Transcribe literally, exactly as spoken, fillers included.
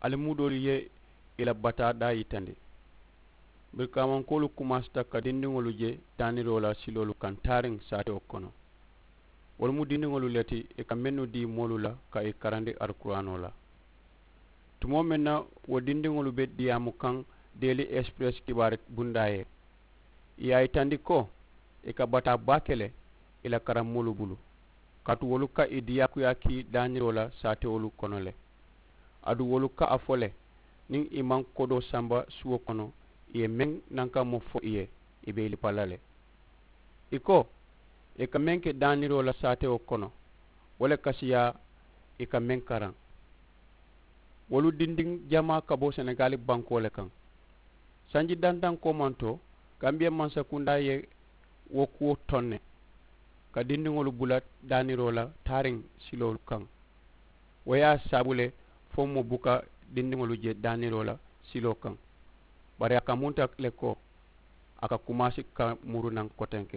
Ali mu doolu ye i la bataa daa yitandi. Birikaamankoolu kumaasita ka dindiŋolu je daaniroo la siloolu kaŋ taariŋ saatewo kono. Wolu mu dindiŋolu le ti i ka mennu dii moolu la ka i karandi alkuraanoo la. Tumoo meŋ na wo dindiŋolu be diyaamu kaŋ deeli express kibaari bundaa ye, i ye a yitandi ko i ka bataa baake le i la karammoolu bulu, kaatu wolu ka i diyaakuyaa kii daaniroo la saatewolu kono le. Aduŋ wolu ka a fo le niŋ i maŋ kodoo samba suwo kono i ye meŋ nankamoo fo i ye, i be i lipa la le. I ko i ka meŋ ke daaniroo la saatewo kono, wo le ka siyaa i ka meŋ karaŋ. Wolu dindiŋ jamaa ka bo senegali bankoo le kaŋ. Sanji dantaŋ koomanto gambiya mansakundaa ye wo kuwo toŋ ne ka dindiŋolu bula daaniroo la taariŋ siloolu kaŋ. Wo ye a saabu le fo moo buka dindiŋolu je daaniroo la siloo kaŋ. Bari a ka munta le ko a ka kumaasi ka muru naŋ kotenke.